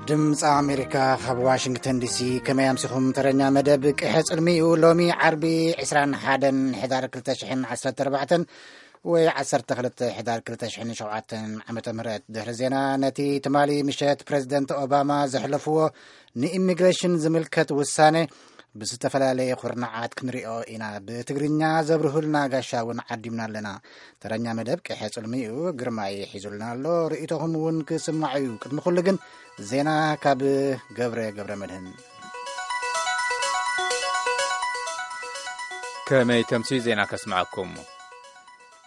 ድምፂ ኣሜሪካ ካብ ዋሽንግተን ዲሲ። ከመይ ኣምሲኹም? ተረኛ መደብ ቅሐ ጽልሚ እዩ። ሎሚ ዓርቢ ዕስራን ሓደን ሕዳር ክልተ ሽሕን ዓሰርተ ኣርባዕተን ወይ ዓሰርተ ክልተ ሕዳር ክልተ ሽሕን ሸውዓተን ዓመተ ምህረት። ድሕሪ ዜና፣ ነቲ ትማሊ ምሸት ፕሬዚደንት ኦባማ ዘሕለፍዎ ንኢሚግሬሽን ዝምልከት ውሳነ ብዝተፈላለየ ኩርናዓት ክንሪኦ ኢና። ብትግርኛ ዘብርሁልና ጋሻ እውን ዓዲምና ኣለና። ተረኛ መደብ ቅሐ ጽልሚ እዩ። ግርማይ ሒዙልና ኣሎ። ርእይቶኹም እውን ክስማዕ እዩ። ቅድሚ ኩሉ ግን ዜና ካብ ገብረ ገብረ መድህን። ከመይ ተምሲ ዜና ከስምዐኩም።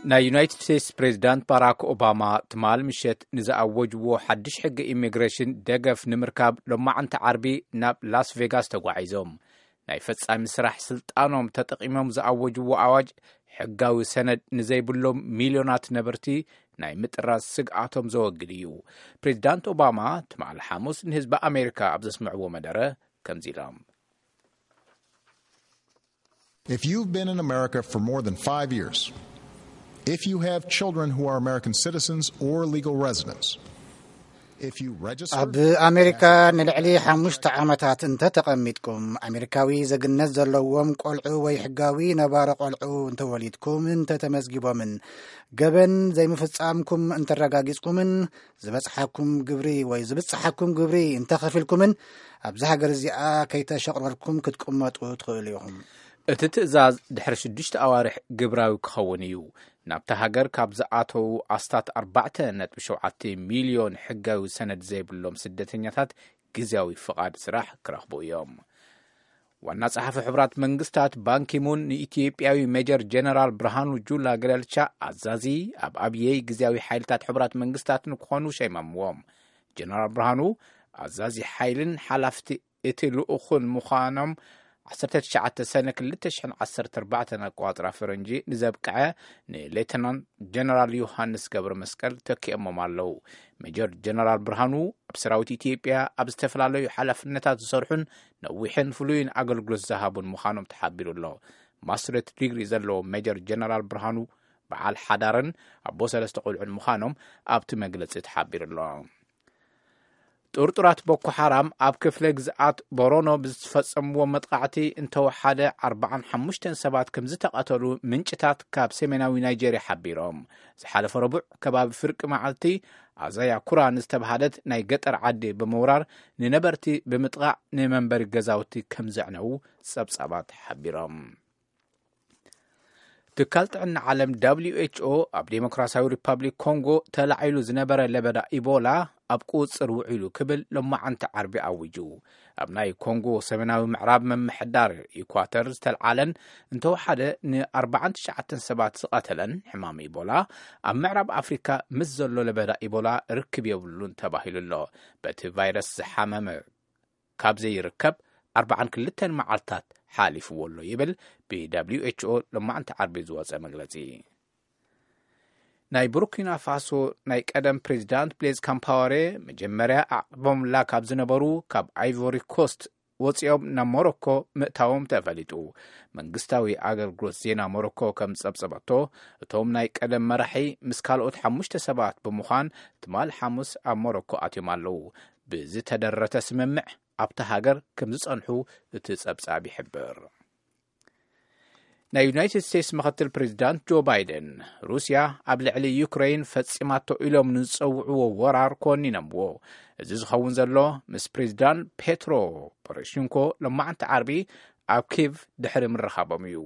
ናይ ዩናይትድ ስቴትስ ፕሬዚዳንት ባራክ ኦባማ ትማል ምሸት ንዝኣወጅዎ ሓድሽ ሕጊ ኢሚግሬሽን ደገፍ ንምርካብ ሎማዕንቲ ዓርቢ ናብ ላስ ቬጋስ ተጓዒዞም። ናይ ፈጻሚ ስራሕ ስልጣኖም ተጠቒሞም ዝኣወጅዎ ኣዋጅ ሕጋዊ ሰነድ ንዘይብሎም ሚልዮናት ነበርቲ ናይ ምጥራዝ ስግኣቶም ዘወግድ እዩ። ፕሬዚዳንት ኦባማ ትማል ሓሙስ ንህዝቢ ኣሜሪካ ኣብ ዘስምዕዎ መደረ ከምዚ ኢሎም። If you've been in America for more than five years, if you have children who are American citizens or legal residents, if you registered ኣብ ኣሜሪካ ንልዕሊ ሓሙሽተ ዓመታት እንተተቐሚጥኩም፣ ኣሜሪካዊ ዜግነት ዘለዎም ቆልዑ ወይ ሕጋዊ ነባሪ ቆልዑ እንተወሊድኩም፣ እንተተመዝጊቦምን ገበን ዘይምፍጻምኩም እንተረጋጊጽኩምን ዝበጽሓኩም ግብሪ ወይ ዝብጽሓኩም ግብሪ እንተኸፊልኩምን ኣብዚ ሃገር እዚኣ ከይተሸቕረርኩም ክትቅመጡ ትኽእሉ ኢኹም። እቲ ትእዛዝ ድሕሪ ሽዱሽተ ኣዋርሕ ግብራዊ ክኸውን እዩ። ናብታ ሃገር ካብ ዝኣተዉ ኣስታት ኣርባዕተ ነጥቢ ሸውዓተ ሚልዮን ሕጋዊ ሰነድ ዘይብሎም ስደተኛታት ግዝያዊ ፍቓድ ስራሕ ክረኽቡ እዮም። ዋና ጸሓፊ ሕቡራት መንግስታት ባንኪሙን ንኢትዮጵያዊ ሜጀር ጀነራል ብርሃኑ ጁላ ገለልቻ ኣዛዚ ኣብ ኣብየይ ግዝያዊ ሓይልታት ሕቡራት መንግስታት ንክኾኑ ሸይሞምዎም። ጀነራል ብርሃኑ ኣዛዚ ሓይልን ሓላፍቲ እቲ ልኡኽን ምዃኖም ዓሰርተ ትሽዓተ ሰነ ክልተ ሽሕን ዓሰርተ ኣርባዕተን ኣቆጻጽራ ፈረንጂ ንዘብቅዐ ንሌተናንት ጀነራል ዮሃንስ ገብረ መስቀል ተኪኦሞም ኣለዉ። ሜጀር ጀነራል ብርሃኑ ኣብ ሰራዊት ኢትዮጵያ ኣብ ዝተፈላለዩ ሓላፍነታት ዝሰርሑን ነዊሕን ፍሉይን ኣገልግሎት ዝሃቡን ምዃኖም ተሓቢሩ ኣሎ። ማስትሬት ዲግሪ ዘለዎም ሜጀር ጀነራል ብርሃኑ በዓል ሓዳርን ኣቦ ሰለስተ ቆልዑን ምዃኖም ኣብቲ መግለጺ ተሓቢሩ ኣሎ። ጥርጡራት ቦኮ ሓራም ኣብ ክፍለ ግዝኣት ቦሮኖ ብዝፈጸምዎ መጥቓዕቲ እንተወሓደ ኣርባዓን ሓሙሽተን ሰባት ከም ዝተቐተሉ ምንጭታት ካብ ሰሜናዊ ናይጄርያ ሓቢሮም። ዝሓለፈ ረቡዕ ከባቢ ፍርቂ መዓልቲ ኣዛያ ኩራ ንዝተባሃለት ናይ ገጠር ዓዲ ብምውራር ንነበርቲ ብምጥቓዕ ንመንበሪ ገዛውቲ ከም ዘዕነዉ ጸብጻባት ሓቢሮም። ትካል ጥዕና ዓለም ደብሊው ኤች ኦ ኣብ ዴሞክራሲያዊ ሪፓብሊክ ኮንጎ ተላዒሉ ዝነበረ ለበዳ ኢቦላ ኣብ ቁጽጽር ውዒሉ ክብል ሎማዓንቲ ዓርቢ ኣዊጁ። ኣብ ናይ ኮንጎ ሰሜናዊ ምዕራብ ምምሕዳር ኢኳተር ዝተልዓለን እንተወሓደ ንኣርባዓን ትሽዓተን ሰባት ዝቐተለን ሕማም ኢቦላ ኣብ ምዕራብ ኣፍሪካ ምስ ዘሎ ለበዳ ኢቦላ ርክብ የብሉን ተባሂሉ ኣሎ። በቲ ቫይረስ ዝሓመመ ካብ ዘይርከብ ኣርባዓን ክልተን መዓልታት ሓሊፍዎ ኣሎ ይብል ብ ደብሊው ኤች ኦ ሎማዕንቲ ዓርቢ ዝወጸ መግለጺ። ናይ ቡርኪና ፋሶ ናይ ቀደም ፕሬዚዳንት ብሌዝ ካምፓወሬ መጀመርያ ኣዕቕቦምላ ካብ ዝነበሩ ካብ ኣይቮሪ ኮስት ወፂኦም ናብ ሞሮኮ ምእታዎም ተፈሊጡ። መንግስታዊ ኣገልግሎት ዜና ሞሮኮ ከም ጸብጸበቶ፣ እቶም ናይ ቀደም መራሒ ምስ ካልኦት ሓሙሽተ ሰባት ብምዃን ትማል ሓሙስ ኣብ ሞሮኮ ኣትዮም ኣለዉ። ብዝተደረተ ስምምዕ ኣብታ ሃገር ከም ዝጸንሑ እቲ ጸብጻብ ይሕብር። ናይ ዩናይትድ ስቴትስ ምኽትል ፕሬዚዳንት ጆ ባይደን ሩስያ ኣብ ልዕሊ ዩክሬን ፈጺማቶ ኢሎም ንዝጸውዕዎ ወራር ኮኒኖምዎ። እዚ ዝኸውን ዘሎ ምስ ፕሬዚዳንት ፔትሮ ፖሮሽንኮ ሎማዕንቲ ዓርቢ ኣብ ኪቭ ድሕሪ ምርኻቦም እዩ።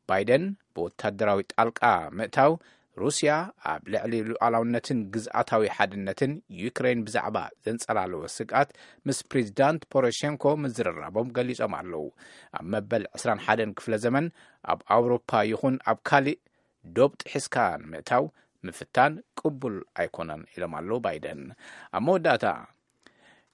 ባይደን ብወታደራዊ ጣልቃ ምእታው ሩስያ ኣብ ልዕሊ ሉዓላውነትን ግዝኣታዊ ሓድነትን ዩክሬን ብዛዕባ ዘንጸላለወ ስግኣት ምስ ፕሬዚዳንት ፖሮሼንኮ ምዝርራቦም ገሊጾም ኣለዉ። ኣብ መበል ዕስራን ሓደን ክፍለ ዘመን ኣብ ኣውሮፓ ይኹን ኣብ ካሊእ ዶብ ጥሒስካ ንምእታው ምፍታን ቅቡል ኣይኮነን ኢሎም ኣለዉ ባይደን። ኣብ መወዳእታ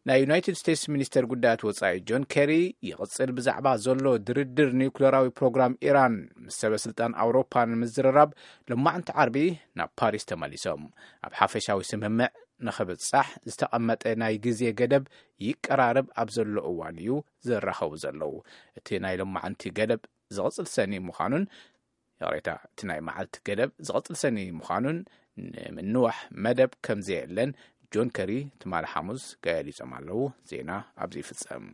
ናይ ዩናይትድ ስቴትስ ሚኒስተር ጉዳያት ወጻኢ ጆን ኬሪ ይቕጽል ብዛዕባ ዘሎ ድርድር ኒውክሌራዊ ፕሮግራም ኢራን ምስ ሰበ ስልጣን ኣውሮፓ ንምዝርራብ ሎማዕንቲ ዓርቢ ናብ ፓሪስ ተመሊሶም። ኣብ ሓፈሻዊ ስምምዕ ንኽብጻሕ ዝተቐመጠ ናይ ግዜ ገደብ ይቀራረብ ኣብ ዘሎ እዋን እዩ ዝራኸቡ ዘለዉ። እቲ ናይ ሎማዕንቲ ገደብ ዝቕጽል ሰኒ ምዃኑን ይቕሬታ፣ እቲ ናይ መዓልቲ ገደብ ዝቕጽል ሰኒ ምዃኑን ንምንዋሕ መደብ ከም ዘየለን ጆን ከሪ ትማሊ ሓሙስ ገሊጾም ኣለዉ። ዜና ኣብዚ ይፍጸም።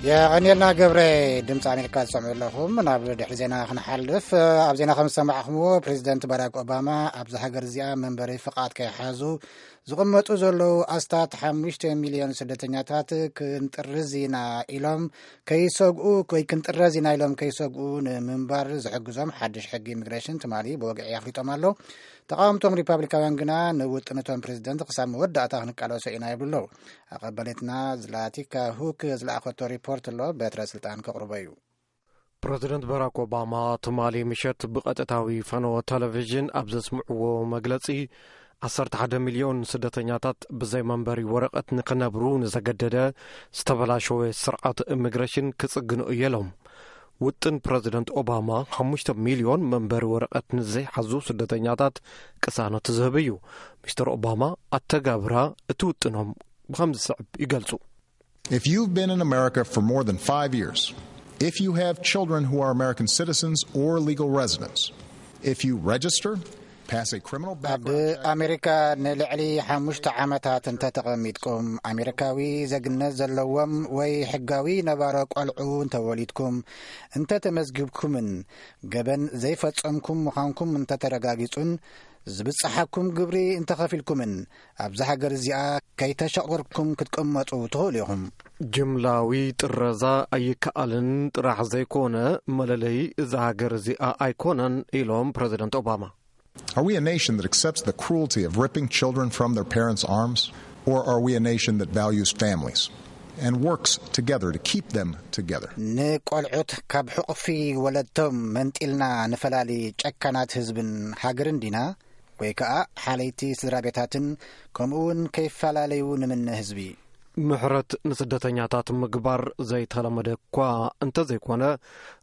የቐንየልና ገብረ። ድምፂ ኣሜሪካ ዝሰምዑ ኣለኹም። ናብ ድሕሪ ዜና ክንሓልፍ፣ ኣብ ዜና ከም ዝሰማዕኹምዎ ፕሬዚደንት ባራክ ኦባማ ኣብዚ ሃገር እዚኣ መንበሪ ፍቓድ ከይሓዙ ዝቕመጡ ዘለዉ ኣስታት ሓሙሽተ ሚልዮን ስደተኛታት ክንጥርዝ ኢና ኢሎም ከይሰግኡ ወይ ክንጥረዝ ኢና ኢሎም ከይሰግኡ ንምንባር ዝሕግዞም ሓድሽ ሕጊ ኢሚግሬሽን ትማሊ ብወግዒ ኣፍሊጦም ኣለዉ። ተቓወምቶም ሪፓብሊካውያን ግና ንውጥን እቶም ፕሬዚደንት ክሳብ መወዳእታ ክንቃለሶ ኢና ይብሉ ኣለዉ። ኣቐበሌትና ዝላቲካ ሁክ ዝለኣኸቶ ሪፖርት ኣሎ፣ በትረ ስልጣን ከቕርቦ እዩ። ፕረዚደንት ባራክ ኦባማ ትማሊ ምሸት ብቐጥታዊ ፈነወ ቴሌቪዥን ኣብ ዘስምዕዎ መግለጺ፣ ዓሰርተ ሓደ ሚልዮን ስደተኛታት ብዘይ መንበሪ ወረቐት ንኽነብሩ ንዘገደደ ዝተበላሸወ ስርዓት ኢሚግሬሽን ክጽግኑ እየ ኢሎም። ውጥን ፕረዚደንት ኦባማ ሓሙሽተ ሚልዮን መንበሪ ወረቐት ንዘይሓዙ ስደተኛታት ቅሳነት ዝህብ እዩ። ሚስተር ኦባማ ኣተጋብራ እቲ ውጥኖም ብኸምዚ ዝስዕብ ይገልጹ። If you've been in America for more than five years, if you have children who are American citizens or legal residents, if you register, pass a criminal ኣብ background check, ኣሜሪካ ንልዕሊ ሓሙሽተ ዓመታት እንተተቐሚጥኩም፣ ኣሜሪካዊ ዜግነት ዘለዎም ወይ ሕጋዊ ነባሮ ቆልዑ እንተወሊድኩም፣ እንተተመዝግብኩምን ገበን ዘይፈጸምኩም ምዃንኩም እንተተረጋጊጹን ዝብጽሓኩም ግብሪ እንተኸፊልኩምን ኣብዚ ሃገር እዚኣ ከይተሸቑርኩም ክትቅመጡ ትኽእሉ ኢኹም። ጅምላዊ ጥረዛ ኣይከኣልን ጥራሕ ዘይኮነ፣ መለለዪ እዛ ሃገር እዚኣ ኣይኮነን ኢሎም ፕረዚደንት ኦባማ። Are we a nation that accepts the cruelty of ripping children from their parents' arms? Or are we a nation that values families and works together to keep them together? ንቆልዑት ካብ ሕቑፊ ወለድቶም መንጢልና ንፈላሊ ጨካናት ህዝብን ሃገርን ዲና? ወይ ከኣ ሓለይቲ ስድራ ቤታትን ከምኡ እውን ከይፈላለዩ ንምነ ህዝቢ? ምሕረት ንስደተኛታት ምግባር ዘይተለመደ እኳ እንተዘይኮነ፣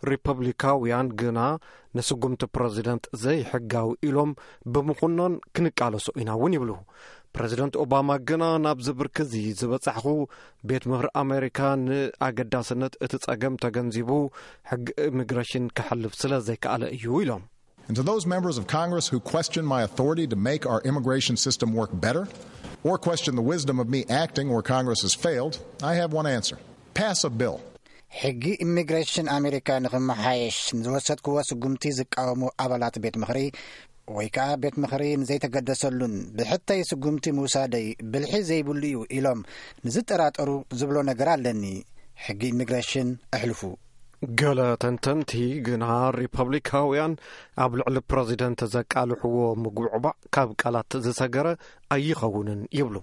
ሪፐብሊካውያን ግና ንስጉምቲ ፕረዚደንት ዘይሕጋዊ ኢሎም ብምኹናን ክንቃለሶ ኢና እውን ይብሉ። ፕረዚደንት ኦባማ ግና ናብዚ ብርኪ እዚ ዝበጻሕኹ፣ ቤት ምኽሪ ኣሜሪካ ንኣገዳስነት እቲ ጸገም ተገንዚቡ ሕጊ ኢሚግሬሽን ከሕልፍ ስለ ዘይከኣለ እዩ ኢሎም። And to those members of Congress who question my authority to make our immigration system work better, or question the wisdom of me acting where Congress has failed, I have one answer. Pass a bill. ሕጊ ኢሚግሬሽን ኣሜሪካ ንኽመሓየሽ ንዝወሰድክዎ ስጉምቲ ዝቃወሙ ኣባላት ቤት ምኽሪ ወይ ከኣ ቤት ምኽሪ ንዘይተገደሰሉን ብሕተይ ስጉምቲ ምውሳደይ ብልሒ ዘይብሉ እዩ ኢሎም ንዝጠራጠሩ ዝብሎ ነገር ኣለኒ። ሕጊ ኢሚግሬሽን ኣሕልፉ። ገለ ተንተንቲ ግና ሪፐብሊካውያን ኣብ ልዕሊ ፕረዚደንት ዘቃልሕዎ ምጉዕባዕ ካብ ቃላት ዝሰገረ ኣይኸውንን ይብሉ።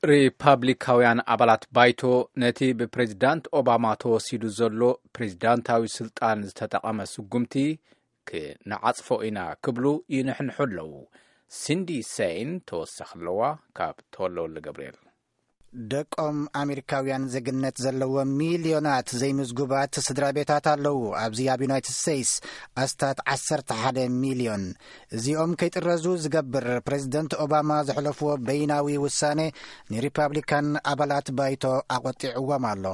ሪፓብሊካውያን ኣባላት ባይቶ ነቲ ብፕሬዚዳንት ኦባማ ተወሲዱ ዘሎ ፕሬዚዳንታዊ ስልጣን ዝተጠቐመ ስጉምቲ ክንዓጽፎ ኢና ክብሉ ይንሕንሑ ኣለዉ። ሲንዲ ሴይን ተወሳኺ ኣለዋ ካብ ተወልደ ወልደ ገብርኤል። ደቆም ኣሜሪካውያን ዜግነት ዘለዎም ሚልዮናት ዘይምዝጉባት ስድራ ቤታት ኣለዉ። ኣብዚ ኣብ ዩናይትድ ስቴትስ ኣስታት ዓሰርተ ሓደ ሚልዮን። እዚኦም ከይጥረዙ ዝገብር ፕሬዚደንት ኦባማ ዘሕለፍዎ በይናዊ ውሳኔ ንሪፓብሊካን ኣባላት ባይቶ ኣቖጢዕዎም ኣሎ።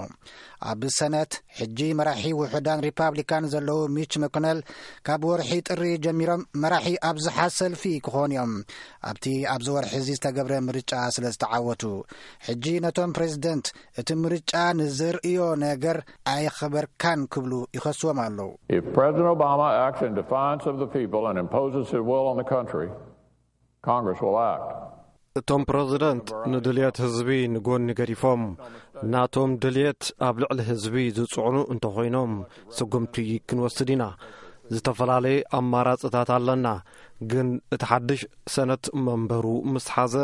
ኣብ ሰነት ሕጂ መራሒ ውሑዳን ሪፓብሊካን ዘለዉ ሚች መኮነል ካብ ወርሒ ጥሪ ጀሚሮም መራሒ ኣብዝሓ ሰልፊ ክኾኑ እዮም። ኣብቲ ኣብዚ ወርሒ እዚ ዝተገብረ ምርጫ ስለ ዝተዓወቱ፣ ሕጂ ነቶም ፕሬዚደንት እቲ ምርጫ ንዘርእዮ ነገር ኣየኽበርካን ክብሉ ይኸስዎም ኣለዉ። If President Obama acts in defiance of the people and imposes his will on the country, Congress will act. እቶም ፕረዚደንት ንድልየት ህዝቢ ንጎኒ ገዲፎም ናቶም ድልየት ኣብ ልዕሊ ህዝቢ ዝጽዕኑ እንተኾይኖም ስጉምቲ ክንወስድ ኢና። ዝተፈላለየ ኣማራጽታት ኣለና፣ ግን እቲ ሓድሽ ሰነት መንበሩ ምስ ሓዘ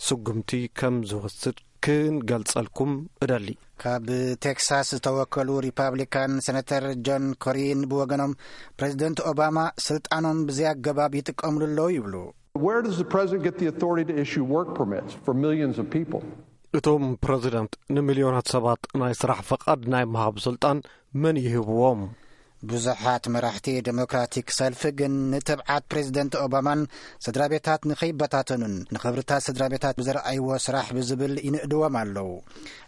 ስጉምቲ ከም ዝወስድ ክንገልጸልኩም እደሊ። ካብ ቴክሳስ ዝተወከሉ ሪፓብሊካን ሴነተር ጆን ኮሪን ብወገኖም ፕሬዚደንት ኦባማ ስልጣኖም ብዘይ ኣገባብ ይጥቀምሉ ኣለዉ ይብሉ። Where does the president get the authority to issue work permits for millions of people? እቶም ፕረዚደንት ንሚልዮናት ሰባት ናይ ስራሕ ፈቓድ ናይ ምሃብ ስልጣን መን ይህብዎም? ብዙሓት መራሕቲ ዴሞክራቲክ ሰልፊ ግን ንትብዓት ፕሬዚደንት ኦባማን ስድራ ቤታት ንኸይበታተኑን ንኽብርታት ስድራ ቤታት ብዘርኣይዎ ስራሕ ብዝብል ይንእድዎም ኣለዉ።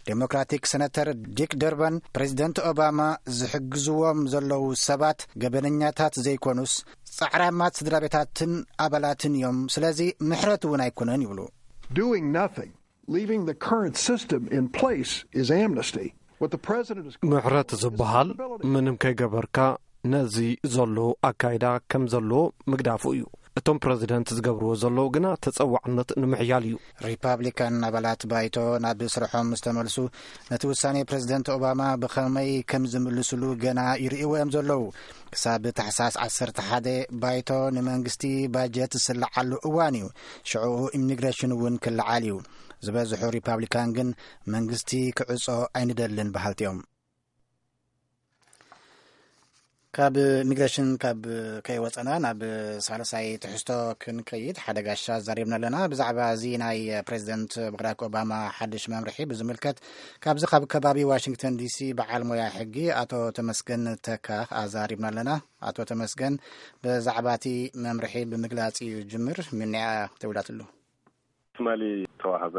ዴሞክራቲክ ሰነተር ዲክ ደርበን፣ ፕሬዚደንት ኦባማ ዝሕግዝዎም ዘለዉ ሰባት ገበነኛታት ዘይኮኑስ ጻዕራማት ስድራ ቤታትን ኣባላትን እዮም። ስለዚ ምሕረት እውን ኣይኮነን ይብሉ። Doing nothing, leaving the current system in place, is amnesty. What the president is ምሕረት ዝበሃል ምንም ከይገበርካ ነዚ ዘሎ ኣካይዳ ከም ዘሎ ምግዳፉ እዩ። እቶም ፕረዚደንት ዝገብርዎ ዘለዉ ግና ተጸዋዕነት ንምሕያል እዩ። ሪፓብሊካን ኣባላት ባይቶ ናብ ስርሖም ምስ ተመልሱ፣ ነቲ ውሳኔ ፕረዚደንት ኦባማ ብኸመይ ከም ዝምልስሉ ገና ይርእይዎ እዮም ዘለዉ። ክሳብ ታሕሳስ ዓሰርተ ሓደ ባይቶ ንመንግስቲ ባጀት ዝስልዓሉ እዋን እዩ። ሽዑኡ ኢሚግሬሽን እውን ክልዓል እዩ። ዝበዝሑ ሪፓብሊካን ግን መንግስቲ ክዕጾ ኣይንደልን በሃልቲ እዮም። ካብ ኢሚግሬሽን ካብ ከይወፀና ናብ ሳልሳይ ትሕዝቶ ክንከይድ ሓደ ጋሻ ዛሪብና ኣለና። ብዛዕባ እዚ ናይ ፕሬዚደንት ባራክ ኦባማ ሓድሽ መምርሒ ብዝምልከት ካብዚ ካብ ከባቢ ዋሽንግተን ዲሲ በዓል ሞያ ሕጊ ኣቶ ተመስገን ተካ ኣዛሪብና ኣለና። ኣቶ ተመስገን ብዛዕባ እቲ መምርሒ ብምግላፅ እዩ ጅምር። ምንያ ተውላትሉ ትማሊ ዝተዋህበ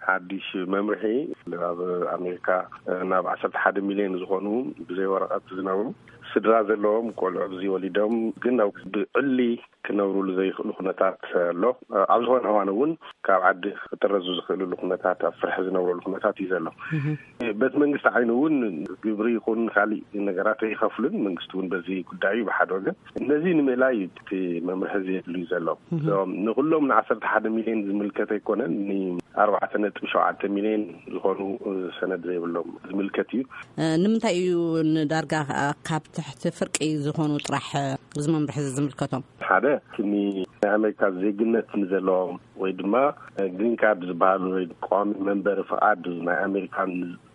ሓድሽ መምርሒ ኣብ ኣሜሪካ ናብ ዓሰርተ ሓደ ሚልዮን ዝኾኑ ብዘይ ወረቐት ዝነብሩ ስድራ ዘለዎም ቆልዑ ብዘይ ወሊዶም ግን ኣብ ብዕሊ ክነብሩሉ ዘይኽእሉ ኩነታት ኣሎ። ኣብ ዝኾነ እዋን እውን ካብ ዓዲ ክጥረዙ ዝኽእልሉ ኩነታት ኣብ ፍርሒ ዝነብረሉ ኩነታት እዩ ዘሎ። በቲ መንግስቲ ዓይኑ እውን ግብሪ ይኹን ካሊእ ነገራት ኣይኸፍሉን። መንግስቲ እውን በዚ ጉዳይ እዩ ብሓደ ወገን ነዚ ንምእላይ እቲ መምርሒ እዚ የድልዩ ዘሎ። ንኩሎም ንዓሰርተ ሓደ ሚልዮን ዝምልከት ኣይኮነን፣ ንኣርባዕተ ነጥቢ ሸውዓተ ሚልዮን ዝኾኑ ሰነድ ዘይብሎም ዝምልከት እዩ። ንምንታይ እዩ ንዳርጋ ካብ ትሕቲ ፍርቂ ዝኾኑ ጥራሕ እዚ መምርሒ እዚ ዝምልከቶም? ሓደ ክኒ ናይ ኣሜሪካ ዜግነት ንዘለዎም ወይ ድማ ግሪን ካርድ ዝበሃሉ ወይ ቀዋሚ መንበሪ ፍቓድ ናይ ኣሜሪካ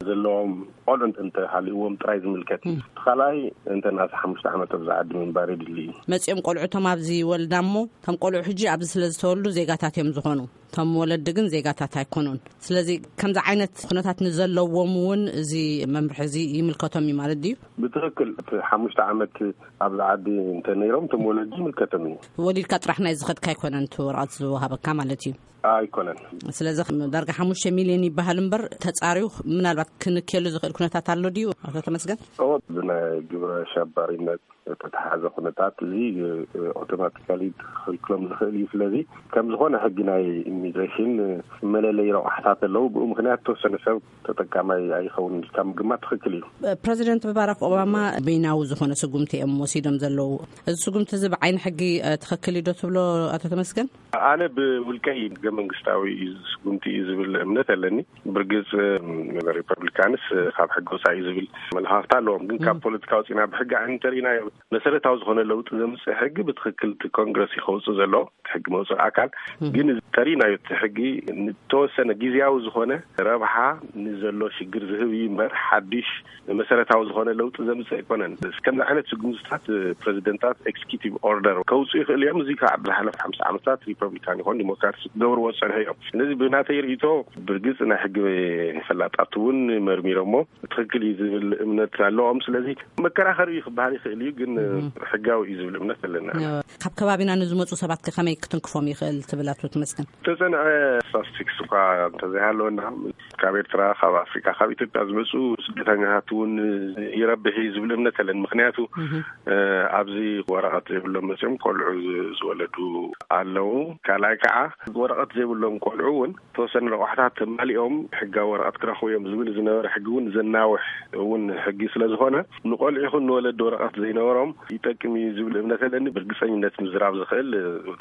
ዘለዎም ቆልዑ እንተሃልዎም ጥራይ ዝምልከት እዩ። እቲ ካልኣይ እንተ ናሳ ሓሙሽተ ዓመት ኣብዚ ዓዲ ምንባር የድሊ እዩ። መፂኦም ቆልዑቶም ኣብዚ ወልዳ እሞ እቶም ቆልዑ ሕጂ ኣብዚ ስለ ዝተወልዱ ዜጋታት እዮም ዝኾኑ። እቶም ወለዲ ግን ዜጋታት ኣይኮኑን። ስለዚ ከምዚ ዓይነት ኩነታት ንዘለዎም እውን እዚ መምርሒ እዚ ይምልከቶም እዩ ማለት ድዩ? ብትኽክል እቲ ሓሙሽተ ዓመት ኣብዚ ዓዲ እንተ ነይሮም እቶም ወለዲ ይምልከቶም እዩ። ወሊድካ ጥራሕ ናይ ዝኸድካ ኣይኮነን እቲ ወረቐት ዝወሃበካ ማለት እዩ። ኣይኮነን። ስለዚ ዳርጋ ሓሙሽተ ሚልዮን ይበሃል እምበር ተጻርዩ ምናልባት ክንክየሉ ዝኽእል ኩነታት ኣሎ ድዩ ኣቶ ተመስገን? እዎ ብናይ ግብረ ሸባሪነት ዝተተሓዘ ኩነታት እዚ ኣውቶማቲካሊ ክኽልክሎም ዝኽእል እዩ። ስለዚ ከም ዝኾነ ሕጊ ናይ ኢሚግሬሽን መለለይ ረቑሕታት ኣለዉ። ብኡ ምኽንያት ተወሰነ ሰብ ተጠቃማይ ኣይኸውን ኢልካ ምግማት ትኽክል እዩ። ፕረዚደንት ባራክ ኦባማ በይናዊ ዝኾነ ስጉምቲ እዮም ወሲዶም ዘለዉ። እዚ ስጉምቲ እዚ ብዓይኒ ሕጊ ትኽክል እዩ ዶ ትብሎ ኣቶ ተመስገን? ኣነ ብውልቀይ ሕገ መንግስታዊ እዩ ስጉምቲ እዩ ዝብል እምነት ኣለኒ። ብርግጽ ሪፐብሊካንስ ካብ ሕጊ ወፃኢ እዩ ዝብል ኣመለኻኽታ ኣለዎም። ግን ካብ ፖለቲካ ወፂና ብሕጊ ዓይኒ እንተሪእናዮ መሰረታዊ ዝኾነ ለውጢ ዘምፅእ ሕጊ ብትኽክል እቲ ኮንግረስ እዩ ከውፅእ ዘለዎ። ሕጊ መውፅኢ ኣካል ግን እዚ ተሪእናዮ እቲ ሕጊ ንተወሰነ ግዝያዊ ዝኾነ ረብሓ ንዘሎ ሽግር ዝህብ እዩ እምበር ሓድሽ መሰረታዊ ዝኾነ ለውጢ ዘምፅእ ኣይኮነን። ከምዚ ዓይነት ስጉምትታት ፕረዚደንታት ኤክስኪዩቲቭ ኦርደር ከውፅኡ ይኽእሉ እዮም። እዚ ከዓ ብዝሓለፈ ሓምሳ ዓመታት ሪፐብሊካን ይኾን ዲሞክራት ክገብርዎ ዝፀንሑ እዮም። ስለዚ ብናተይ ርእይቶ ብርግፅ ናይ ሕጊ ፈላጣት እውን መርሚሮሞ ትኽክል እዩ ዝብል እምነት ኣለዎም። ስለዚ መከራኸሪ እዩ ክበሃል ይኽእል እዩ፣ ግን ሕጋዊ እዩ ዝብል እምነት ኣለና። ካብ ከባቢና ንዝመፁ ሰባት ከ ከመይ ክትንክፎም ይኽእል ትብል ኣቶ ተመስገን? ተፀንዐ ስታስቲክስ እኳ እንተዘይሃለወና ካብ ኤርትራ፣ ካብ ኣፍሪካ፣ ካብ ኢትዮጵያ ዝመፁ ስደተኛታት እውን ይረብሕ እዩ ዝብል እምነት ኣለን። ምክንያቱ ኣብዚ ወረቐት ዘይብሎም መፅኦም ቆልዑ ዝወለዱ ኣለዉ። ካልኣይ ከዓ ወረቐት ዘይብሎም ቆልዑ እውን ተወሰነ ረቋሕታት ተማሊኦም ሕጋዊ ወረቐት ክረኽቡ እዮም ዝብል ዝነበረ ሕጊ እውን ዘናውሕ እውን ሕጊ ስለ ዝኾነ ንቆልዑ ይኹን ንወለዲ ወረቐት ዘይነበሮም ይጠቅም እዩ ዝብል እምነት ኣለኒ። ብርግፀኝነት ምዝራብ ዝኽእል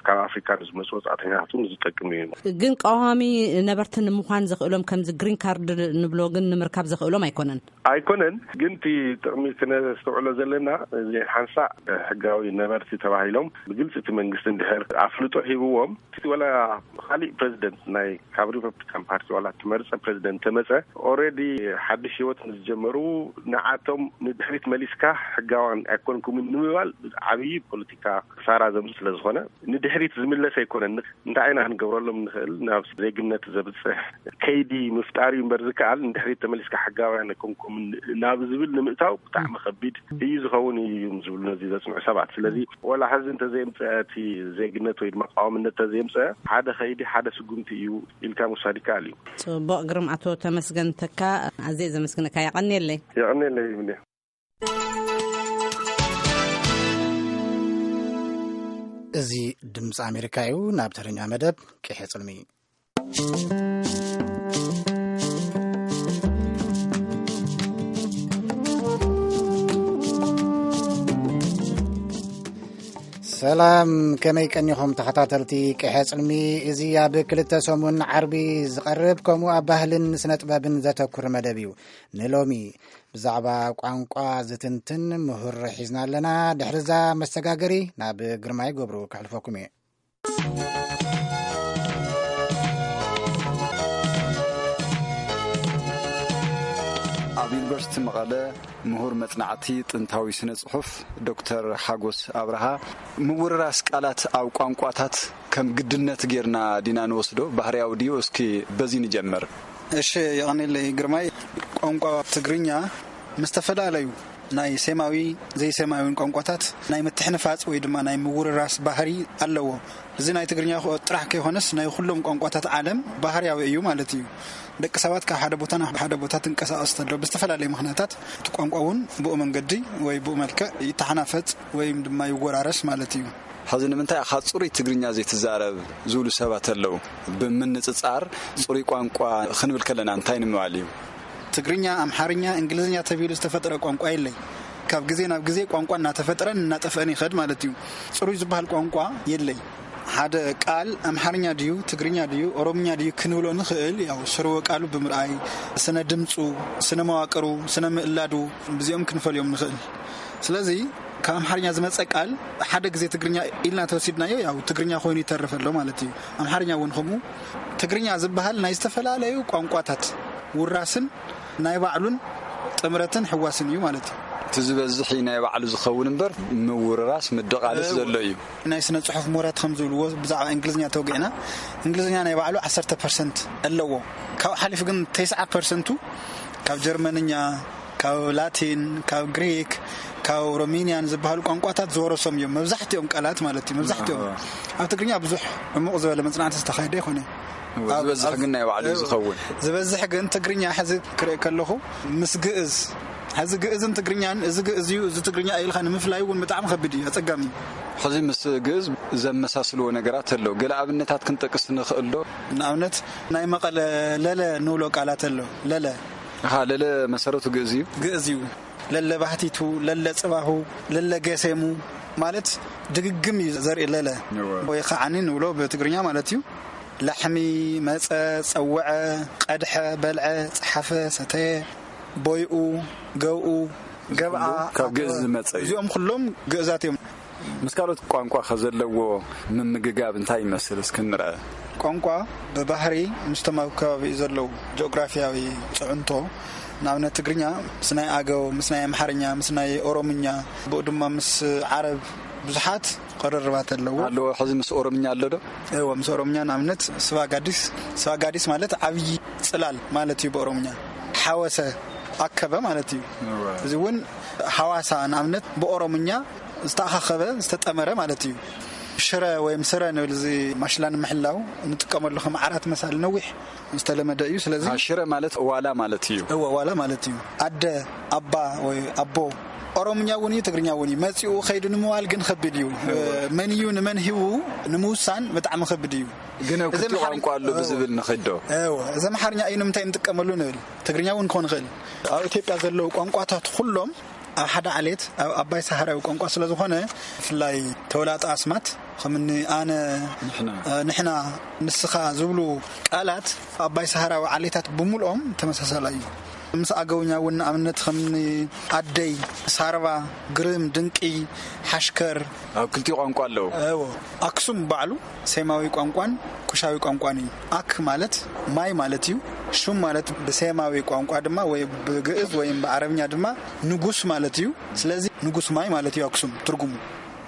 ካብ ኣፍሪካ ንዝመፁ ወፃእተኛታት እውን ዝጠቅም እዩ። ግን ቀዋሚ ነበርቲ ንምዃን ዘኽእሎም ከምዚ ግሪን ካርድ ንብሎ ግን ንምርካብ ዘኽእሎም ኣይኮነን። ኣይኮነን፣ ግን እቲ ጥቕሚ ክነስተውዕሎ ዘለና እዚ ሓንሳእ ሕጋዊ ነበርቲ ተባሂሎም ብግልፂ እቲ መንግስቲ እንድሕር ኣፍልጦ ሂብዎም ወላ ካሊእ ፕረዚደንት ናይ ካብ ሪፐብሊካን ፓርቲ ዋላ ትመርፀ ፕረዚደንት ተመፀ ኦረዲ ሓድሽ ህይወት ምስ ጀመሩ ንዓቶም ንድሕሪት መሊስካ ሕጋዋን ኣይኮን ክም ንምባል ዓብዪ ፖለቲካ ክሳራ ዘምስ ስለ ዝኾነ፣ ንድሕሪት ዝምለስ ኣይኮነን። ንኽ-፣ እንታይ ኢና ክንገብረሎም ንኽእል? ናብ ዜግነት ዘብጽሕ ከይዲ ምፍጣር እዩ እምበር ዝከኣል፣ ንድሕሪት ተመሊስካ ሕጋውያን ኣይኮንኩምን ናብ ዝብል ንምእታው ብጣዕሚ ከቢድ እዩ ዝኸውን እዮም ዝብሉ ነዚ ዘጽንዑ ሰባት። ስለዚ፣ ወላ ሕዚ እንተዘየምጽአ፣ እቲ ዜግነት ወይ ድማ ቀዋምነት እንተዘየምጽአ፣ ሓደ ከይዲ፣ ሓደ ስጉምቲ እዩ ኢልካ ምውሳድ ይከኣል እዩ። ጽቡቕ፣ ግርም። ኣቶ ተመስገን ተካ፣ ኣዝየ ዘመስግነካ። የቐንየለይ። የቐንየለይ ይብልየ። እዚ ድምፂ ኣሜሪካ እዩ። ናብ ተረኛ መደብ ቅሐ ጽልሚ። ሰላም፣ ከመይ ቀኒኹም ተኸታተልቲ ቅሐ ጽልሚ? እዚ ኣብ ክልተ ሰሙን ዓርቢ ዝቐርብ፣ ከምኡ ኣብ ባህልን ስነ ጥበብን ዘተኩር መደብ እዩ። ንሎሚ ብዛዕባ ቋንቋ ዝትንትን ምሁር ሒዝና ኣለና። ድሕሪ እዛ መሰጋገሪ ናብ ግርማይ ገብሩ ከሕልፈኩም እየ። ኣብ ዩኒቨርሲቲ መቐለ ምሁር መጽናዕቲ ጥንታዊ ስነ ጽሑፍ ዶክተር ሓጎስ ኣብርሃ፣ ምውርራስ ቃላት ኣብ ቋንቋታት ከም ግድነት ጌርና ዲና ንወስዶ? ባህርያዊ ድዩ? እስኪ በዚ ንጀምር። እሺ፣ የቐኔለይ ግርማይ። ቋንቋ ትግርኛ ምስ ተፈላለዩ ናይ ሴማዊ ዘይሴማዊን ቋንቋታት ናይ ምትሕንፋጽ ወይ ድማ ናይ ምውርራስ ባህሪ ኣለዎ። እዚ ናይ ትግርኛ ጥራሕ ከይኮነስ ናይ ኩሎም ቋንቋታት ዓለም ባህርያዊ እዩ ማለት እዩ። ደቂ ሰባት ካብ ሓደ ቦታ ናብ ሓደ ቦታ ትንቀሳቐስ ተሎ ብዝተፈላለየ ምኽንያታት እቲ ቋንቋ እውን ብኡ መንገዲ ወይ ብኡ መልክዕ ይተሓናፈጽ ወይም ድማ ይወራረስ ማለት እዩ። ሕዚ ንምንታይ ኢኻ ጽሩይ ትግርኛ ዘይትዛረብ ዝብሉ ሰባት ኣለዉ። ብምንጽጻር ጽሩይ ቋንቋ ክንብል ከለና እንታይ ንምባል እዩ? ትግርኛ፣ ኣምሓርኛ፣ እንግሊዝኛ ተቢሉ ዝተፈጠረ ቋንቋ የለይ። ካብ ግዜ ናብ ግዜ ቋንቋ እናተፈጥረን እናጠፍአን ይኸድ ማለት እዩ። ጽሩይ ዝበሃል ቋንቋ የለይ። ሓደ ቃል ኣምሓርኛ ድዩ፣ ትግርኛ ድዩ፣ ኦሮምኛ ድዩ ክንብሎ ንኽእል፣ ያው ስርወ ቃሉ ብምርኣይ፣ ስነ ድምፁ፣ ስነ መዋቅሩ፣ ስነ ምእላዱ፣ ብዚኦም ክንፈልዮም ንኽእል። ስለዚ ካብ ኣምሓርኛ ዝመጸ ቃል ሓደ ግዜ ትግርኛ ኢልና ተወሲድናዮ፣ ያው ትግርኛ ኮይኑ ይተርፍ ኣሎ ማለት እዩ። ኣምሓርኛ እውን ከምኡ። ትግርኛ ዝበሃል ናይ ዝተፈላለዩ ቋንቋታት ውራስን ናይ ባዕሉን ጥምረትን ሕዋስን እዩ ማለት እዩ። እቲ ዝበዝሕ እዩ ናይ ባዕሉ ዝኸውን እምበር ምውርራስ ምድቓልስ እው። ዘሎ እዩ። ናይ ስነ ጽሑፍ ምሁራት ከም ዝብልዎ ብዛዕባ እንግሊዝኛ ተወጊዕና፣ እንግሊዝኛ ናይ ባዕሉ ዓሰርተ ፐርሰንት ኣለዎ። ካብኡ ሓሊፉ ግን ተስዓ ፐርሰንቱ ካብ ጀርመንኛ፣ ካብ ላቲን፣ ካብ ግሪክ፣ ካብ ሮሜንያን ዝበሃሉ ቋንቋታት ዝወረሶም እዮም። መብዛሕትኦም ቃላት ማለት እዩ። መብዛሕትኦም። ኣዎ። ኣብ ትግርኛ ብዙሕ ዕሙቕ ዝበለ መጽናዕቲ ዝተኻየደ ኣይኮነ። እዎ፣ ኣብ-፣ ዝበዝሕ ኣብ-፣ ግን ናይ ባዕሉ እዩ እዎ። ዝኸውን። ዝበዝሕ ግን ትግርኛ ሕዚ ክርኢ ከለኹ ምስ ግእዝ፣ ሕዚ ግእዝን ትግርኛን፣ እዚ ግእዝ እዩ፣ እዚ ትግርኛ እዩ ኢልካ ንምፍላይ እውን ብጣዕሚ ከቢድ እዩ፣ ኣጸጋሚ እዩ። ሕዚ ምስ ግእዝ ዘመሳስልዎ ነገራት ኣሎ። ገለ ኣብነታት ክንጠቅስ ንኽእል ዶ? ንኣብነት ናይ መቐለ ለለ ንብሎ ቃላት ኣሎ። ለለ። ኣሃ፣ ለለ መሰረቱ ግእዝ እዩ? ግእዝ እዩ። ለለ ባህቲቱ፣ ለለ ጽባሁ፣ ለለ ገሴሙ ማለት ድግግም እዩ ዘርኢ ለለ። እወ። ወይ ከዓኒ ንብሎ ብትግርኛ ማለት እዩ። ላሕሚ፣ መጸ፣ ጸውዐ፣ ቀድሐ፣ በልዐ፣ ጸሓፈ፣ ሰተየ፣ ቦይኡ፣ ገብኡ፣ ገብኣ፣ ካብ ግእዝ ኣተወ። ዝመጸ እዩ። እዚኦም ኩሎም ግእዛት እዮም። ምስ ካልኦት ቋንቋ ከ ዘለዎ ምምግጋብ እንታይ ይመስል? እስኪ ንርአ። ቋንቋ ብባህሪ ምስቶም ኣብ ከባቢኡ ዘለዉ ጂኦግራፊያዊ ጽዕንቶ፣ ንኣብነት ትግርኛ ምስ ናይ ኣገው፣ ምስ ናይ ኣምሓርኛ፣ ምስ ናይ ኦሮምኛ፣ ብኡ ድማ ምስ ዓረብ ብዙሓት ቅርርባት ኣለዎ። ኣለዎ። ሕዚ ምስ ኦሮምኛ ኣሎ ዶ? እዎ፣ ምስ ኦሮምኛ ንኣብነት ስባ ጋዲስ፣ ስባ ጋዲስ ማለት ዓብዪ ጽላል ማለት እዩ ብኦሮምኛ። ሓወሰ፣ ኣከበ ማለት እዩ። እወ። እዚ እውን ሓዋሳ ንኣብነት ብኦሮምኛ ዝተኣኻኸበ፣ ዝተጠመረ ማለት እዩ። ሽረ ወይም ስረ ንብል፣ እዚ ማሽላ ንምሕላው እንጥቀመሉ ከም ዓራት መሳሊ ነዊሕ ዝተለመደ እዩ። ስለዚ አ፣ ሽረ ማለት ዋላ ማለት እዩ። እወ፣ ዋላ ማለት እዩ። ኣደ፣ ኣባ ወይ ኣቦ ኦሮምኛ እውን እዩ፣ ትግርኛ እውን እዩ። መጺኡ ከይዱ ንምባል ግን ከቢድ እዩ። እወ። መን እዩ ንመን ሂቡ ንምውሳን ብጣዕሚ ከቢድ እዩ። ግን ኣብ እዚ ክልቲኡ ኣምሓርኛ ቋንቋ ኣሎ እወ። ብዝብል ንኸይድ ዶ? እወ፣ እዚ ኣምሓርኛ እዩ ንምንታይ እንጥቀመሉ ንብል። ትግርኛ እውን ክኾን ይኽእል። ኣብ ኢትዮጵያ ዘለዉ ቋንቋታት ኩሎም ኣብ ሓደ ዓሌት ኣብ ኣባይ ሰሃራዊ ቋንቋ ስለ ዝኾነ፣ ብፍላይ ተወላጠ ኣስማት፣ ከምኒ ኣነ፣ ንሕና። እ፣ ንሕና፣ ንስኻ ዝብሉ ቃላት ኣባይ ሰሃራዊ ዓሌታት ብምልኦም ተመሳሳላይ እዩ። ምስ ኣገውኛ እውን ንኣብነት ከም ኣደይ፣ ሳርባ፣ ግርም፣ ድንቂ፣ ሓሽከር። ኣብ ክልቲኡ ቋንቋ ኣለዉ። እዎ። ኣክሱም ባዕሉ ሴማዊ ቋንቋን ኩሻዊ ቋንቋን እዩ። ኣክ ማለት ማይ ማለት እዩ። ሹም ማለት ብሴማዊ ቋንቋ ድማ ወይ ብግእዝ ወይም ብዓረብኛ ድማ ንጉስ ማለት እዩ። ስለዚ ንጉስ ማይ ማለት እዩ ኣክሱም ትርጉሙ።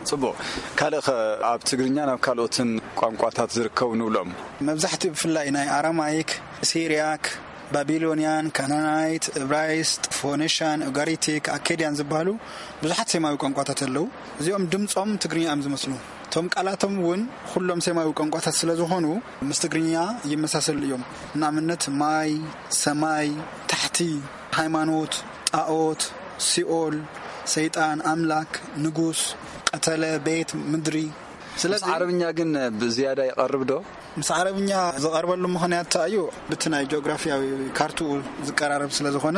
ጽቡቕ። ካልእ ኸ ኣብ ትግርኛን ኣብ ካልኦትን ቋንቋታት ዝርከቡ ንብሎም? መብዛሕትኡ ብፍላይ ናይ ኣራማይክ፣ ሲርያክ፣ ባቢሎንያን፣ ካናናይት፣ እብራይስጥ፣ ፎኒሽያን፣ ኡጋሪቲክ፣ ኣኬድያን ዝበሃሉ ብዙሓት ሴማዊ ቋንቋታት ኣለዉ። እዚኦም ድምጾም ትግርኛ እዮም ዝመስሉ። እቶም ቃላቶም እውን ኩሎም ሴማዊ ቋንቋታት ስለ ዝኾኑ ምስ ትግርኛ ይመሳሰሉ እዮም። ንኣብነት ማይ፣ ሰማይ፣ ታሕቲ፣ ሃይማኖት፣ ጣኦት፣ ሲኦል፣ ሰይጣን፣ ኣምላክ፣ ንጉስ፣ ቀተለ፣ ቤት፣ ምድሪ። ምስ ስለዚ ዓረብኛ ግን ብዝያዳ ይቐርብ ዶ? ምስ ዓረብኛ ዝቐርበሉ ምኽንያት እንታይ እዩ? ብቲ ናይ ጂኦግራፊያዊ ካርትኡ ዝቀራረብ ስለ ዝኾነ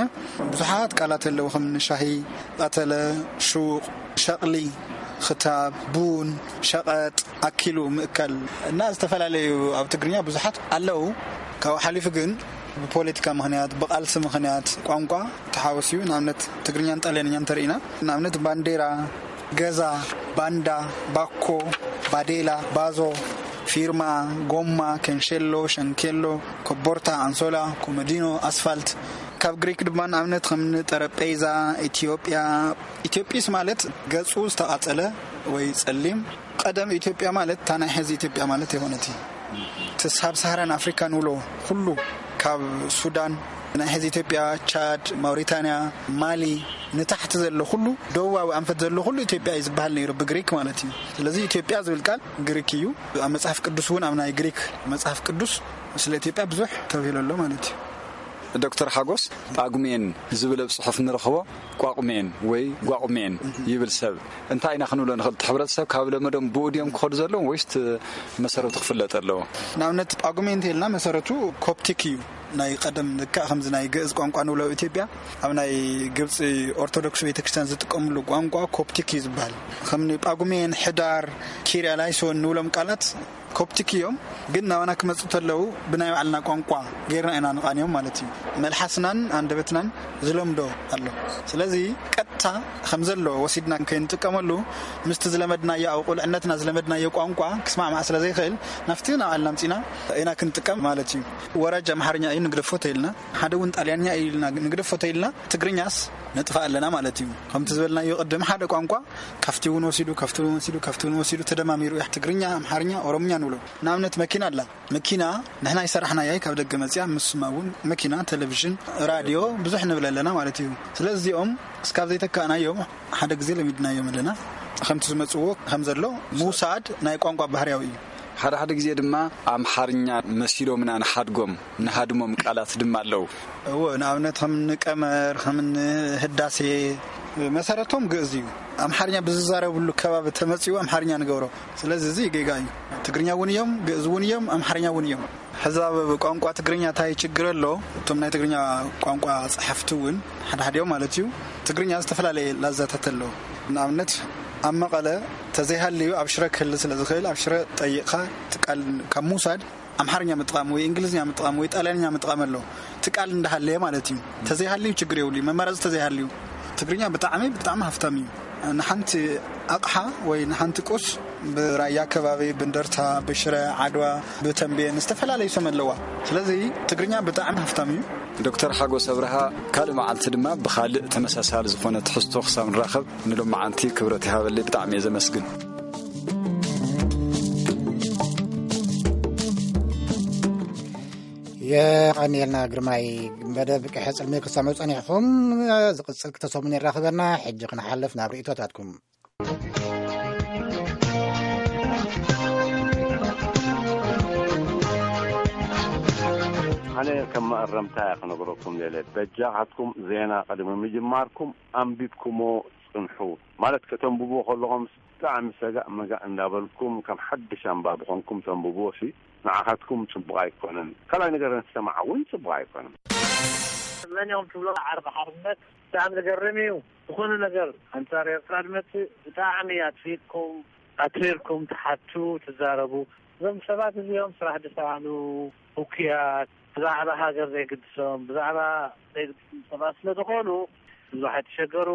ብዙሓት ቃላት ኣለዉ፣ ከም ሻሂ፣ ቀተለ፣ ሹቕ፣ ሸቕሊ፣ ክታብ፣ ቡን፣ ሸቐጥ፣ ኣኪሉ ምእካል እና ዝተፈላለዩ ኣብ ትግርኛ ብዙሓት ኣለዉ። ካብኡ ሓሊፉ ግን ብፖለቲካ ምኽንያት፣ ብቓልሲ ምኽንያት ቋንቋ ተሓወስዩ። ንኣብነት ትግርኛን ጣልያንኛን እንተርኢና፣ ንኣብነት ባንዴራ፣ ገዛ፣ ባንዳ፣ ባኮ፣ ባዴላ፣ ባዞ፣ ፊርማ፣ ጎማ፣ ከንሸሎ፣ ሸንኬሎ፣ ኮቦርታ፣ ኣንሶላ፣ ኮመዲኖ፣ ኣስፋልት። ካብ ግሪክ ድማ ንኣብነት ከም ጠረጴዛ፣ ኢትዮጵያ። ኢትዮጵስ ማለት ገጹ ዝተቓጸለ ወይ ጸሊም። ቀደም ኢትዮጵያ ማለት እታ ናይ ሕዚ ኢትዮጵያ ማለት ኣይኮነትን። እቲ ሳብ ሳሃራን ኣፍሪካን ንብሎ ኩሉ ካብ ሱዳን፣ ናይ ሕዚ ኢትዮጵያ፣ ቻድ፣ ማውሪታንያ፣ ማሊ፣ ንታሕቲ ዘሎ ኩሉ፣ ደቡባዊ ኣንፈት ዘሎ ኩሉ ኢትዮጵያ እዩ ዝበሃል ነይሩ ብግሪክ ማለት እዩ። ስለዚ ኢትዮጵያ ዝብል ቃል ግሪክ እዩ። ኣብ መጽሓፍ ቅዱስ እውን፣ ኣብ ናይ ግሪክ መጽሓፍ ቅዱስ ስለ ኢትዮጵያ ብዙሕ ተብሂሉ ኣሎ ማለት እዩ። ዶክተር ሓጎስ፣ ጳጉሜን ዝብል ኣብ ጽሑፍ ንረኽቦ ቋቑሜን ወይ ጓቑሜን ይብል ሰብ። እንታይ ኢና ክንብሎ ንኽእል? እቲ ሕብረተሰብ ካብ ለመዶም ብኡ ድዮም ክኸዱ ዘለዎም ወይስ እቲ መሰረቱ ክፍለጥ ኣለዎ? ንኣብነት ጳጉሜ እንተኢልና መሰረቱ ኮፕቲክ እዩ። ናይ ቀደም ልክዕ ከምዚ ናይ ግእዝ ቋንቋ ንብሎ ኣብ ኢትዮጵያ፣ ኣብ ናይ ግብፂ ኦርቶዶክስ ቤተክርስትያን ዝጥቀምሉ ቋንቋ ኮፕቲክ እዩ ዝበሃል። ከም ጳጉሜን፣ ሕዳር፣ ኪርያ ላይሶን ንብሎም ቃላት ኮፕቲክ እዮም፣ ግን ናባና ክመፁ ተለዉ ብናይ ባዕልና ቋንቋ ጌርና ኢና ንቓንዮም ማለት እዩ። መልሓስናን ኣንደበትናን ዝለምዶ ኣሎ። ስለዚ ቀጥታ ከም ዘሎ ወሲድና ከይንጥቀመሉ፣ ምስቲ ዝለመድናዮ፣ ኣብ ቁልዕነትና ዝለመድናዮ ቋንቋ ክስማዕማዕ ስለ ዘይኽእል፣ ናብቲ ናባዕልና ኣምፂና ኢና ክንጥቀም ማለት እዩ። ወራጅ ኣምሓርኛ እዩ ንግደፎ ተይልና፣ ሓደ እውን ጣልያንኛ እዩ ኢልና ንግደፎ ተይልና፣ ትግርኛስ ነጥፋ ኣለና ማለት እዩ። ከምቲ ዝበልናዮ ቅድም፣ ሓደ ቋንቋ ካብቲ እውን ወሲዱ፣ ካብቲ እውን ወሲዱ፣ ካብቲ እውን ወሲዱ ተደማሚሩ እዩ ትግርኛ፣ ኣምሓርኛ፣ ኦሮምኛ ንብሎ። ንኣብነት መኪና ኣላ። መኪና ንሕና ይሰራሕናያ፣ ካብ ደገ መፅያ፣ ምስማ እውን መኪና፣ ቴሌቪዥን፣ ራድዮ ብዙሕ ንብል ኣለና ማለት እዩ። ስለዚ እዚኦም እስካብ ዘይተካእናዮም ሓደ ግዜ ለሚድናዮም ኣለና። ከምቲ ዝመፅዎ ከም ዘሎ ምውሳድ ናይ ቋንቋ ባህርያዊ እዩ። ሓደ ሓደ ግዜ ድማ ኣምሓርኛ መሲሎምና ንሓድጎም፣ ንሃድሞም ቃላት ድማ ኣለዉ። እዎ፣ ንኣብነት ከም ንቀመር፣ ከም ንህዳሴ፣ መሰረቶም ግእዝ እዩ። ኣምሓርኛ ብዝዛረብሉ ከባቢ ተመጺኡ ኣምሓርኛ ንገብሮ። ስለዚ እዚ ጌጋ እዩ። ትግርኛ እውን እዮም፣ ግእዝ እውን እዮም፣ ኣምሓርኛ እውን እዮም። ሕዚ ኣብ ቋንቋ ትግርኛ እንታይ ችግር ኣሎ? እቶም ናይ ትግርኛ ቋንቋ ጸሓፍቲ እውን ሓደ ሓዲኦም ማለት እዩ፣ ትግርኛ ዝተፈላለየ ላዛታት ኣለዎ። ንኣብነት ኣብ መቐለ ተዘይሃልዩ ኣብ ሽረ ክህሊ ስለ ዝኽእል፣ ኣብ ሽረ ጠይቕካ እቲ ቃል ካብ ምውሳድ ኣምሓርኛ ምጥቃም ወይ እንግሊዝኛ ምጥቃም ወይ ጣልያንኛ ምጥቃም ኣሎ። እቲ ቃል እንዳሃለየ ማለት እዩ። ተዘይሃልዩ ችግር የብሉ። መመረፂ ተዘይሃልዩ ትግርኛ ብጣዕሚ፣ ብጣዕሚ ሃፍታም እዩ። ንሓንቲ ኣቕሓ ወይ ንሓንቲ ቁስ ብራያ ከባቢ፣ ብእንደርታ፣ ብሽረ፣ ዓድዋ፣ ብተንቤን ዝተፈላለዩ ስም ኣለዋ። ስለዚ ትግርኛ ብጣዕሚ ሃፍታም እዩ። ዶክተር ሓጎስ ኣብርሃ፣ ካልእ መዓልቲ ድማ ብኻልእ ተመሳሳሊ ዝኾነ ትሕዝቶ ክሳብ ንራኸብ ንሎማዓንቲ ክብረት ይሃበለይ። ብጣዕሚ እየ ዘመስግን። የቐንየልና ግርማይ። መደብ ቅሐ ጽልሚ ክሰምዑ ጸኒሕኹም። ዝቕጽል ክልተ ሰሙን የራኽበና። ሕጂ ክንሓልፍ ናብ ርእይቶታትኩም። ኣነ ከም መኣረምታ እየ ክነግረኩም ደለ። በጃኻትኩም ዜና ቅድሚ ምጅማርኩም ኣንቢብኩሞ ጽንሑ። ማለት ከተንብብዎ ከለኹም ብጣዕሚ ሰጋእ መጋእ እንዳበልኩም ከም ሓድሽ ኣንባቢ ኮንኩም ተንብብዎ ሲ ንዓኻትኩም ጽቡቕ ኣይኮነን። ካልኣይ ነገር ንሰማዕ እውን ጽቡቕ ኣይኮነን። መን እዮም ትብሎ ዓርቢ ሓርነት? ብጣዕሚ ዘገርም እዩ። ዝኾነ ነገር ኣንጻር ኤርትራ ዝመጽእ ብጣዕሚ ኣጽፊጥኩም፣ ኣትሪርኩም ትሓቱ፣ ትዛረቡ። እዞም ሰባት እዚኦም ስራሕ ዝሰኣኑ፣ እኩያት፣ ብዛዕባ ሃገር ዘይግድሶም፣ ብዛዕባ ሰባት ስለ ዝኾኑ ብዙሕ ኣይተሸገሩ።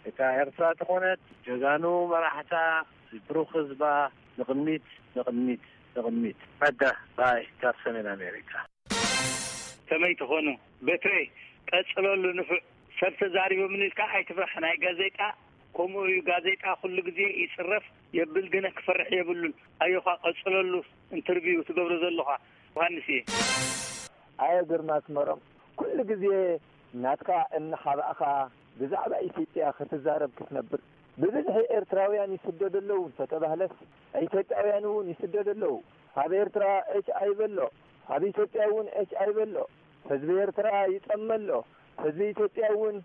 እታ ኤርትራ ተኾነት ጀጋኑ መራሕታ፣ ብሩኽ ህዝባ፣ ንቕድሚት፣ ንቕድሚት፣ ንቕድሚት። ጸጋ ባይ ካብ ሰሜን ኣሜሪካ። ከመይ ትኾኑ? በትሬ ቀጽለሉ፣ ንፉዕ ሰብ ተዛሪቦምኒ ኢልካ ኣይትፍራሕ። ናይ ጋዜጣ ከምኡ እዩ። ጋዜጣ ኩሉ ግዜ ይጽረፍ የብል፣ ግነ ክፈርሕ የብሉን። ኣዮኻ ቀጽለሉ፣ ኢንተርቪው ትገብሮ ዘለኻ። ዮሃንስ እየ። ኣየ ግርማ ኣስመሮም፣ ኩሉ ግዜ ናትካ እናሓባእኻ ብዛዕባ ኢትዮጵያ ክትዛረብ ክትነብር፣ ብብዝሒ ኤርትራውያን ይስደዱ ኣለዉ እንተተባህለስ፣ ኢትዮጵያውያን እውን ይስደዱ ኣለዉ። ኣብ ኤርትራ ኤች ኣይ ቪ ኣሎ፣ ኣብ ኢትዮጵያ እውን ኤች ኣይ ቪ ኣሎ። ህዝቢ ኤርትራ ይጠመ ኣሎ፣ ህዝቢ ኢትዮጵያ እውን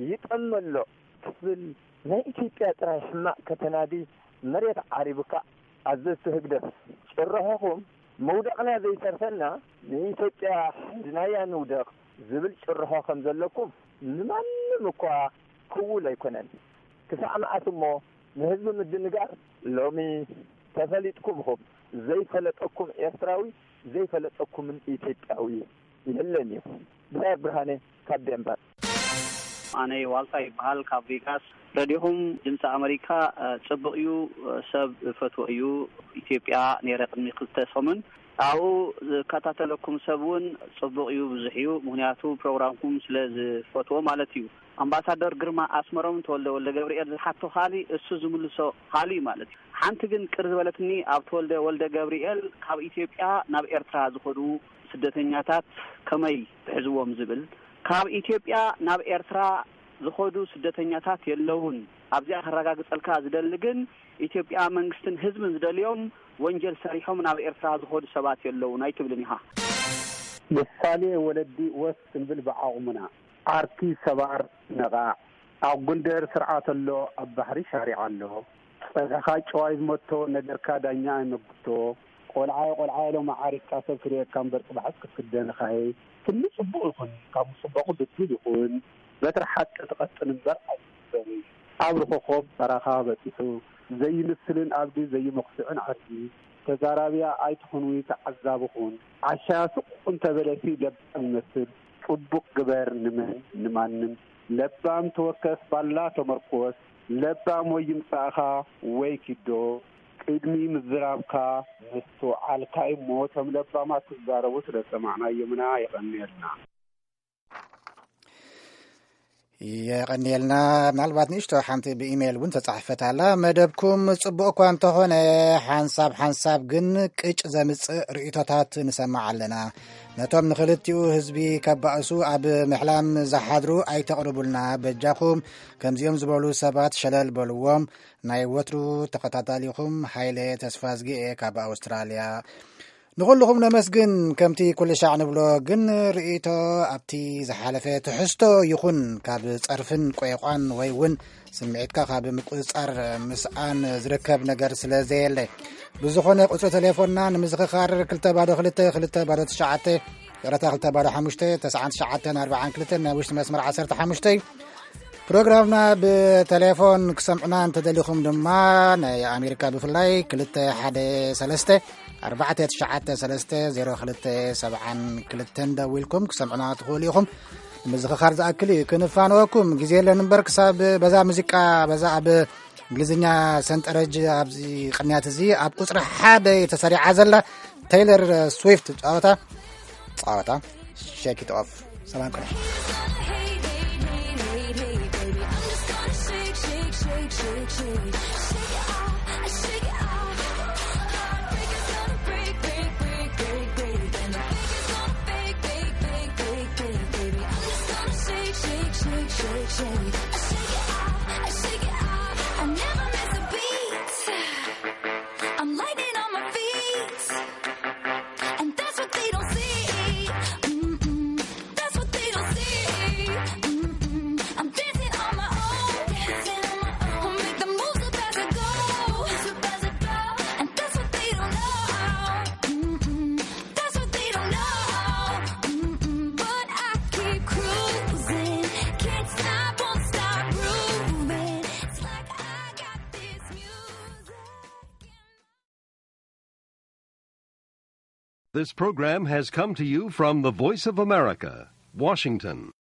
ይጠመ ኣሎ ክትብል ናይ ኢትዮጵያ ጥራይ ሕማቕ ከተናዲ መሬት ዓሪቡካ። ኣዘዝቲ ህግደፍ፣ ጭርሖኹም ምውዳቕና ዘይተርፈና፣ ንኢትዮጵያ ሒዝናያ ንውደቕ ዝብል ጭርሖ ከም ዘለኩም ንማንም እኳ ክውል ኣይኮነን። ክሳዕ መዓስ እሞ ንህዝቢ ምድንጋር? ሎሚ ተፈሊጥኩም ኢኹም። ዘይፈለጠኩም ኤርትራዊ፣ ዘይፈለጠኩምን ኢትዮጵያዊ የለን እዩ። ብላይ ብርሃነ ካብ ዴንቨር። ኣነ ዋልታ ይበሃል፣ ካብ ቬጋስ። ረዲኹም ድምፂ ኣመሪካ፣ እ፣ ፅቡቕ እዩ፣ እ፣ ሰብ ፈትዎ እዩ። ኢትዮጵያ ነይረ ቅድሚ ክልተ ሰሙን። ኣብኡ ዝከታተለኩም ሰብ እውን ፅቡቕ እዩ፣ ብዙሕ እዩ። ምኽንያቱ ፕሮግራምኩም ስለ ዝፈትዎ ማለት እዩ። ኣምባሳደር ግርማ ኣስመሮም ተወልደ ወልደ ገብርኤል ዝሓቶ ካሊ እሱ ዝምልሶ ካሊ ማለት እዩ። ሓንቲ ግን ቅር ዝበለትኒ ኣብ ተወልደ ወልደ ገብርኤል ካብ ኢትዮጵያ ናብ ኤርትራ ዝኸዱ ስደተኛታት ከመይ ትሕዝዎም ዝብል፣ ካብ ኢትዮጵያ ናብ ኤርትራ ዝኸዱ ስደተኛታት የለውን። ኣብዚኣ ከረጋግጸልካ ዝደሊ ግን ኢትዮጵያ መንግስትን ህዝብን ዝደልዮም ወንጀል ሰሪሖም ናብ ኤርትራ ዝኸዱ ሰባት የለውን ኣይትብልን ኢኻ። ምሳሌ ወለዲ ወስ ክንብል ብዓቕሙና። ዓርኪ ሰባር ነቓዕ። ኣብ ጎንደር ስርዓት ኣሎ፣ ኣብ ባሕሪ ሻሪዓ ኣሎ። ጸግዕኻ ጨዋይ ዝመቶ፣ ነገርካ ዳኛ ኣይመግቶ። ቆልዓይ ቆልዓይ ኢሎም ዓሪፍካ ሰብ ክርእየካ እምበር ጽባሕስ ክትክደን ኢኻ። ህይ። ትልሚ ጽቡቕ ይኹን፣ ካብ ምጽበቑ ብድል ይኹን፣ በትሪ ሓቂ ትቐጥን እምበር ኣይትስበርን። ኣብ ርኾኾብ በራኻ በጺሑ ዘይምስልን ኣብዲ ዘይመኹስዕን ዓዲ። ተዛራብያ ኣይትኹንዊ፣ ተዓዛቢ ኩን። ዓሻ ስቕ እንተበለሲ ለባም ይመስል። ጽቡቕ ግበር ንመን ንማንም። ለባም ተወከስ ባላ ተመርኮስ። ለባም ወይ ይምጻእኻ ወይ ኪዶ። ቅድሚ ምዝራብካ ምስትውዓልካ እሞ እቶም ለባማት ክዛረቡ ስለ ዝሰማዕናዮም ኢና። የቐንየልና። የቐንየልና። ምናልባት ንእሽቶ ሓንቲ ብኢሜይል እውን ተጻሕፈት ኣላ። መደብኩም ጽቡቕ እኳ እንተኾነ፣ ሓንሳብ ሓንሳብ ግን ቅጭ ዘምጽእ ርእይቶታት ንሰማዕ ኣለና። ነቶም ንኽልቲኡ ህዝቢ ከባእሱ ኣብ ምሕላም ዝሓድሩ ኣይተቕርቡልና በጃኹም። ከምዚኦም ዝበሉ ሰባት ሸለል በልዎም። ናይ ወትሩ ተኸታታሊኹም ሃይለ ተስፋዝጊኤ ካብ ኣውስትራልያ። ንኹልኹም ነመስግን። ከምቲ ኩሉ ሻዕ ንብሎ ግን፣ ርእይቶ ኣብቲ ዝሓለፈ ትሕዝቶ ይኹን ካብ ጸርፍን ቆይቋን ወይ እውን ስምዒትካ ካብ ምቁጽጻር ምስኣን ዝርከብ ነገር ስለ ዘየለ፣ ብዝኾነ ቁጽሪ ቴሌፎንና ንምዝኽኻር ክልተ ባዶ ክልተ ክልተ ባዶ ትሽዓተ፣ ይቕረታ፣ ክልተ ባዶ ሓሙሽተ ተስዓን ትሽዓተን ኣርባዓን ክልተን ናይ ውሽጢ መስመር ዓሰርተ ሓሙሽተ እዩ። ፕሮግራምና ብቴሌፎን ክሰምዑና እንተደሊኹም ድማ፣ ናይ ኣሜሪካ ብፍላይ ክልተ ሓደ ሰለስተ ኣርባዕተ ትሽዓተ ሰለስተ ዜሮ ክልተ ሰብዓን ክልተን ደዊልኩም ክሰምዑና ትኽእሉ ኢኹም። ንምዝኽኻር ዝኣክል እዩ፣ ክንፋነወኩም ግዜ የለን እምበር፣ ክሳብ በዛ ሙዚቃ፣ በዛ ኣብ እንግሊዝኛ ሰንጠረጅ ኣብዚ ቅንያት እዚ ኣብ ቁጽሪ ሓደ ተሰሪዓ ዘላ ቴይለር ስዊፍት ጻወታ፣ ጻወታ ሼክ ኢት ኦፍ። ሰላም ቅነ። I'm lightning on my feet. And that's what they don't see. Mm-mm. That's what they don't see. Mm-mm. I'm dancing on my own. Dancing on my own. I'll make the moves up as I go. Moves up as I go. And that's what they don't know. Mm-mm. That's what they don't know. Mm-mm. But I keep cruising. Can't stop, won't stop grooving. It's like I got this music. This program has come to you from the Voice of America, Washington.